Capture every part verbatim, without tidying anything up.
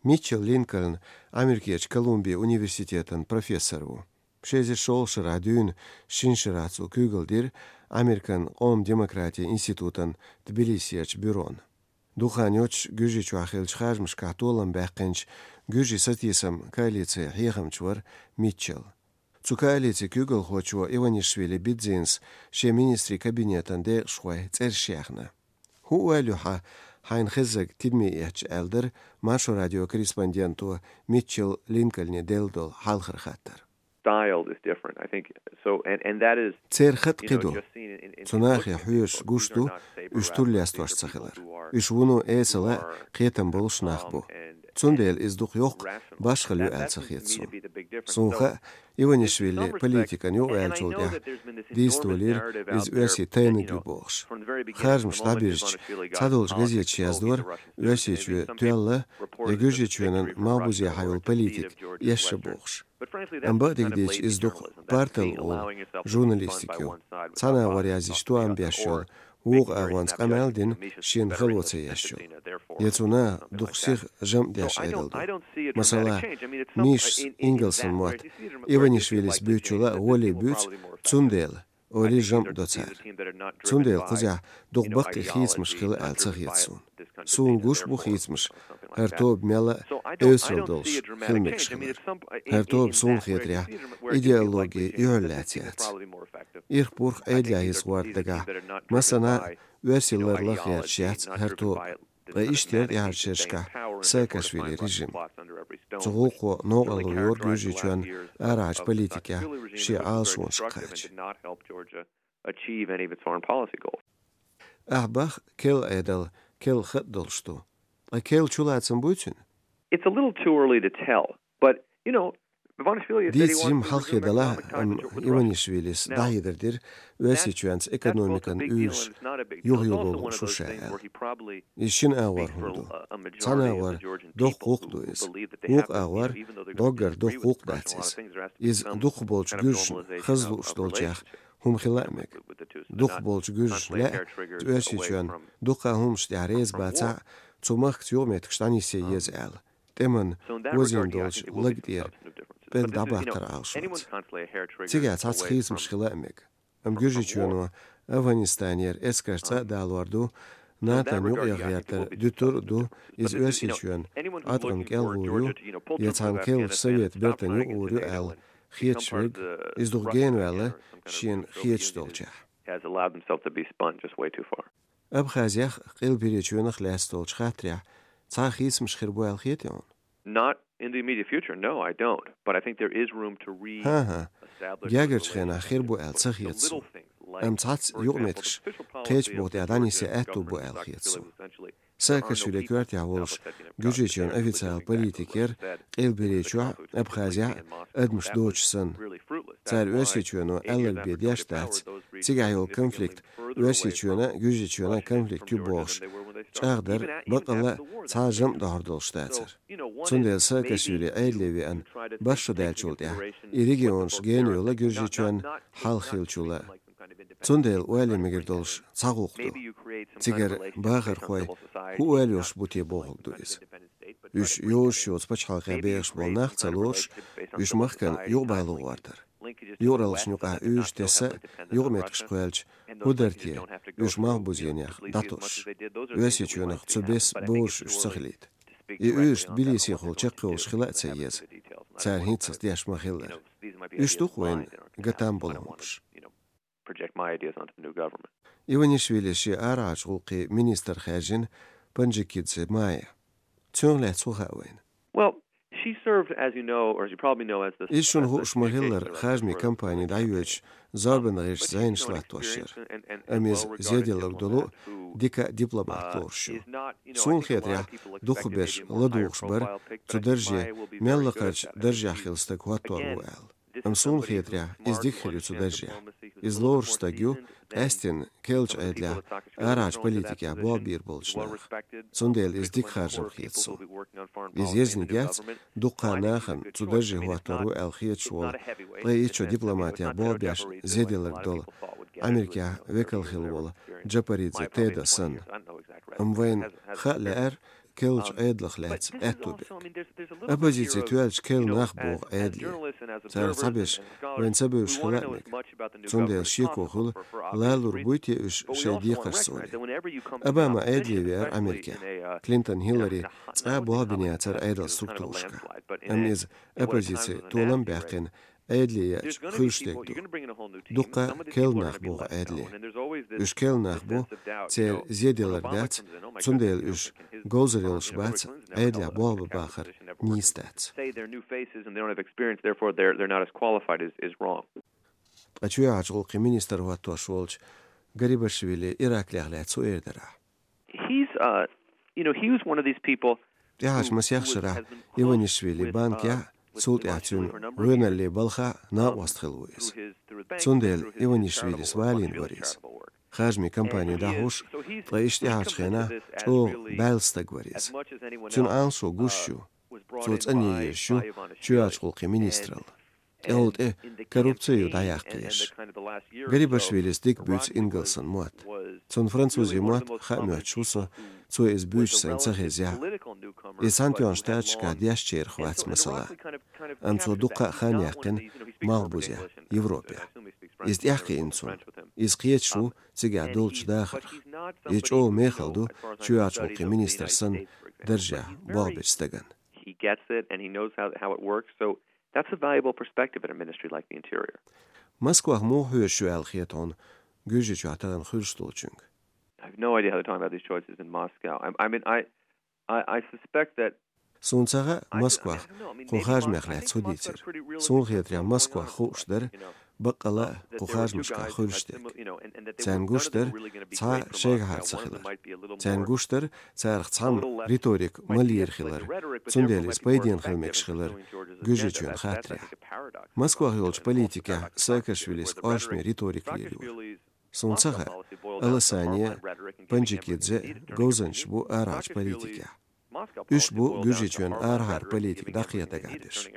Митчелл Линкольн Америкерчу Колумбия университетан профессор ву. Ши эзар шолгӀачу шарахь дуьйна шина шарахь цо куьйгалла дира Американ къоман демократин институтан Тбилисерчу бюрона. Дукха хан йоццуш Гуьржийчохь хиллачу харжамашкахь толам баьккхинчу Гуьржийн сатийсам коалицин хьехамча вара Митчелл. Цу коалицин куьйгалхочо Иванишвили Бидзинас шен министрийн кабинетан декъашхойн цӀераш яьхна. «ХӀун ойла ю хьан, хьайна хезнарг тидаме эцча?» — аьлла дара Маршо радион корреспонденто Митчелл Линкольне делла долу хьалхара хаттар. Style is different, I think. So, and, and that is, церан хатӀ кхин ду. Цу нахе хьоьжуш гуш ду уьш тур лестош ца хилар. Уьш вуно эсала а, кхетам болуш нах бу. Цундела иза дукха йоккха башхалла ю аьлла ца хета суна. Суна хаьа, Иванишвили политикан юкъаваьллачул тӀаьхьа дийца долийра иза оьрсийн тайниг ю бохуш. Харжамаш дӀабирзича, цхьадолчу газеташа яздора, Оьрсийчоь тоьлла я Гуьржийчоьнан малхбузе хьайолу политика эшна бохуш. Амма бакъдерг дийцича, иза дукха парталла олу журналистика ю. Цхьана агӀор яздича тоам беш йолу, вукху агӀонца къамел а дина, шена хало ца еш йолу. Я цунах дукха сиха жамӀ деш Ӏедал ду. Масала, Мишас ингалсан мотт Иванишвилис буьйцучул а гӀоле буьйцу, цундела олий жамӀ до цара. Цундела кхузахь дукха баккхий хийцамаш хилла аьлла ца хета суна. Суна гуш бу хийцамаш, хӀара тоба мелла а эвсаралла долуш хила мегаш хилар. ХӀара тоба, суна хетарехь, идеологин юьхьарлаьцна яц. Ирх-пурх Ӏедалехь йиса гӀорта дагахь, массанхьа а оьрсийн лар лаха гӀерташ яц хӀара тоба. Ткъа иштта яра тӀаьхьарчу шерашкахь Саакашвили режим. Цу гӀуллакхо новкъарло йора Гуьржийчоьнан арахьарчу политикехь шен Ӏалашонашка кхача. Achieve any of its foreign policy goals. Ахь боху, керла Ӏедал керла хатӀ долуш ду. Ткъа керла чулацам буй цуьнан? It's a little too early to tell, but, you know, Иванишвили, дийца жимма хьалххе далахь, амма Иванишвилис дӀахьедар дира Оьрсийчоьнца экономикан уьйраш юхайоло лууш ву ша аьлла. Иза шина агӀор хӀума ду. Цхьана агӀор доккха гӀуллакх ду иза. Вукху агӀор доггара доккха гӀуллакх дац иза. Иза дукхахболу гуьржашна хаза лууш долчех хӀума хила а мега. Дукхахболчу гуьржаша лаьа, Оьрсийчоьнна дуккха а хӀуманаш тӀехь реза бацахь а, цу махкаца юкъаметтигаш дӀанисъян еза аьлла, тӀеман озийна долчу лаг тӀера пӀелг дӀабаттар Ӏалашонца. Цигахь цхьацца хийцамаш хила а мега. Амма Гуьржийчоьно Афганистанера эскарш цӀа а далор ду, НАТОн юкъагӀертар дуьтур а ду, иза Оьрсийчоьнан Ӏаткъам кӀел гӀур ю, я цхьана керлачу совет бертан юкъа гӀур ю аьлла хеташ верг, иза дукха генаваьлла шена хеташ долчехь. Has allowed himself to be spun just way too far. Абхазех, Къилберечоьнах лаьцна долчу хаттарехь цхьа а хийцамаш хир бу аьлла хетий хьуна? Not in the immediate future, no, I don't. But I think there is room to re- ХӀан-хӀа. Гергарчу хенахь хир бу аьлла ца хета суна. Амма цхьацца юкъаметтигаш кхечу бухахь дӀанисъян аьтту бу аьлла хета суна. Саакашвили коьртехь волуш Гуьржийчоьнан официалан политика яра Къилберечохь а, Абхазехь а адамаш доцуш санна. Цара Оьрсийчоьно аьлларг бен деш дац, цигахь йолу конфликт Оьрсийчоьнан а, Гуьржийчоьнан а конфликт ю бохуш чӀагӀдар, баккъалла а цхьа а жамӀ дохьур долуш дацара. Цундела Саакашвили Ӏедале веана бархӀ шо даьллачул тӀаьхьа и регионаш гена йолу Гуьржийчоьнна хьалха хиллачул а. Цундела ойла ян мегар долуш цхьа гӀуллакх ду. Цигара бахархой хӀун ойла йолуш бу те бохург ду иза. Уьш йозуш йоцу пачхьалкхе бехаш болу нах ца лоруш, уьш махкана юкъабало гӀортар. Юкъараллашна юкъахь уьйраш тесса а юкъаметтигаш кхоьллича, хӀун дара те, уьш малхбузенех дӀатосуш? Оьрсийчоьнах цу бесса бозуш уьш ца хилийта. И уьйраш Тбилисехула чекхйолуш хила а ца еза, цара хӀинццалц деш ма-хиллара. Уьш ду-кх вайна гатам болу хӀуманаш. Project my ideas onto the new government. Иванишвили шен арахьарчу гӀуллакхийн министр хаьржина Панджикидзе Майя. Цунах лаьцна хӀун хаьа вайна? Well, she served, as you know, or as you probably know, as the Иза, шуна хууш ма-хиллара, харжамийн кампани дӀайоьдуш зорбанан гӀирсаца зӀенаш латтош яра. Амма иза зеделларг долу а, дика дипломат лоруш ю. Суна хетарехь, дукхахберш ладугӀуш бара, цу дарже мел лакхарчу даржехь хилла стаг хӀоттор ву аьлла. Амма суна хетарехь, иза дика хир ю цу даржехь. Иза лоруш стаг ю, къаьсттина керлачу Ӏедалехь арахьарчу политикехь болх бийр болчу наха. Цундела иза дика харжам хета суна. Иза ерзаниг яц, дуккха а нахана цу дарже хӀоттор ву аьлла хеташ волу, ткъе итт шо дипломатехь болх беш зеделларг долу, Америкехь векал хилла волу Джапаридзе Теда санна. Амма вайна хаа лаьара, керла Ӏедалах лаьцна аьтту берг. Оппозици тоьллача керла нах богӀу Ӏедале. Царах цхьаберш вайна ца бевзаш хила а мега. Цундела шеко хуьлу лалур буй те уьш шайн декхаршца олий. Обама Ӏедале веара Америкехь. Клинтон, Хиллари цкъа а болх бина яцара Ӏедалан структурашкахь. Амма иза оппозици толам а баьккхина, Ӏедале яьча хуьлуш дерг ду. Дуккха керла нах богӀу Ӏедале. Уьш керла нах бу, церан зе делар дац, цундела уьш говзар йолуш бац, Ӏедалехь болх бан бахар нийса дац. Say they're new faces and they don't have experience, therefore they're, they're not as qualified is, is wrong. Ткъа чоьхьарчу гӀуллакхийн министр хӀоттош волчу Гарибашвили Ираклех лаьцна хӀун эр дара ахь? He's, uh, you know, he was one of these people. ТӀаьхьарчу масех шарахь Иванишвили банкехь, цул тӀаьхьа цуьнан гӀоьналлин балхахь накъост хилла ву иза. Цундела Иванишвилис валийна вара иза. Харжамийн компани дӀахьуш, ткъа иштта тӀаьхьарчу хенахь чӀогӀа баьлла стаг вара иза. Цуьнан Ӏалашо гуш ю. Цо цӀанъе езаш ю чоьхьарчу гӀуллакхийн министралла. ТӀехула тӀе коррупци ю дӀаяккха езаш. Гарибашвилис дика буьйцу ингалсан мотт. Цунна французийн мотт хаа моьттуш ву со, цо иза буьйцуш сайна ца хезехь а. Иза Цхьаьнатоьхначу Штаташкахь дешначарах вац, масала. Амма цо дуккха а хан яьккхина малхбузехь, Европехь. Иза тӀаьхьакхиъна цунна. Иза кхеташ ву цигахь долчу дахарх. Иза чӀогӀа мехала ду чоьхьарчу гӀуллакхийн министр санна даржехь болх бечу стагана. He gets it and he knows how, how it works. So that's a valuable perspective in a ministry like the Interior. Москвахь муха хьоьжуш ю аьлла хета хьуна Гуьржийчохь тахана хуьлуш долчуьнга? I have no idea how they're talking about these choices in Moscow. I, I mean, I, I, I suspect that Суна ца хаьа Москвахь кху харжамех лаьцна хӀун дийцира. Суна хетарехь, Москвахь хууш дара баккъала а кху харжамашкахь хуьлуш дерг. Царна гуш дара цхьа шайгахьара ца хилар. Царна гуш дара царах цхьамма риторика малъийр хилар, цундела иза пайденна хила мегаш хилар Гуьржийчоьнан хаттарехь. Москвахь йолчу политикехь Саакашвилис къовсаме риторика лелайора. Суна ца хаьа, Аласани а, Панджикидзе а говзанчаш бу арахьарчу политикехь. Уьш бу Гуьржийчоьнан арахьара политика дӀакхехьа дагахь берш.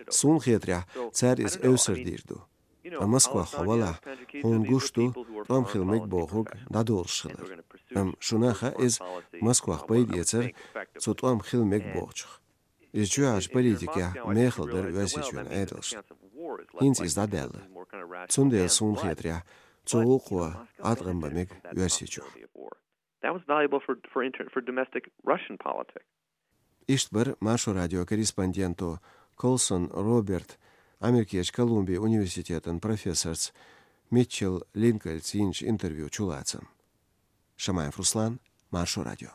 Суна хетарехь, цара иза эвсар дийр ду. Ткъа Москвахь хьо валахь, хьуна гуш ду тӀом хила мега бохург дӀадолуш хилар. Амма шуна хаьа иза Москвах пайда эцар цу тӀом хила мега бохучух. Иза чоьхьарчу политикехь мехала дара Оьрсийчоьнан Ӏедалшна. ХӀинца иза дӀадаьлла. Цундела, суна хетарехь, цу гӀуллакхо Ӏаткъам бан мега Оьрсийчохь. That was valuable for, for, inter, for domestic Russian politics. Иштта бара Маршо радион корреспонденто Колсон Роберт, Америкерчу Колумбин университетан профессорца Митчелл Линкольнца йинчу интервьюн чулацам. Шамаев Руслан, Маршо радио.